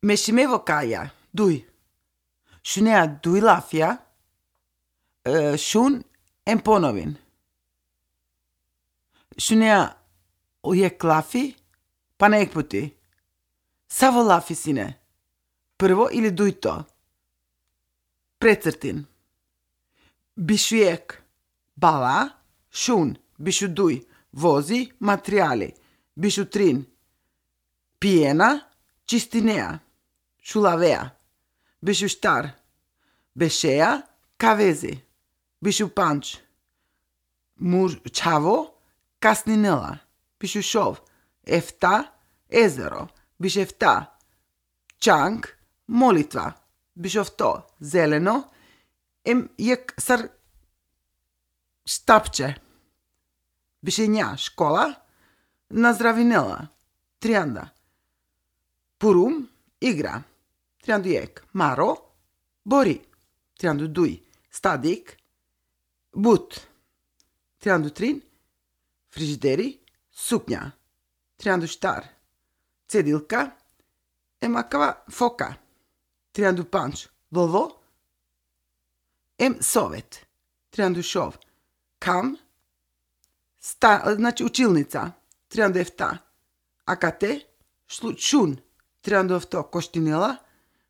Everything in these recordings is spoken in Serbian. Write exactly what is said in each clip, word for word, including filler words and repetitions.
Meshimevo kaja, dui. Shunea dui lafja, uh, shun en ponovin. Shunea ujek lafi, pa nek puti. Savo lafi sine. Prvo ili duj to. Precrtin. Bishujek bala, shun, bishu duj, vozi, materiali. Bishu trin, pijena, čistinea, šulavea. Bishu štar, bešeja, kavezi. Bishu panč, mur čavo, kasninela. Bishu šov, efta, ezero. Biš efta, čank, molitva. Bišov to, zeleno, em jek sar štapče. Bišenja, škola, nazdravinela, trianda. Purum, igra. Triandu jek, maro, bori. Triandu duj, stadik, but. Triandu trin, frižideri, suknja. Triandu štar, cedilka, em akava foka. Triandu panč, vovo, em sovet. Triandu šov, kam, sta, znači učilnica. Triandu efta, akate, šun. Triandu efto, koštinela,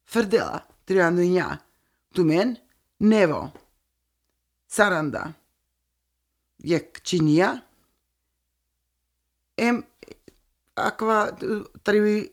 frdela. Triandu nja, tumen, nevo. Saranda, jek činija, em akva, tri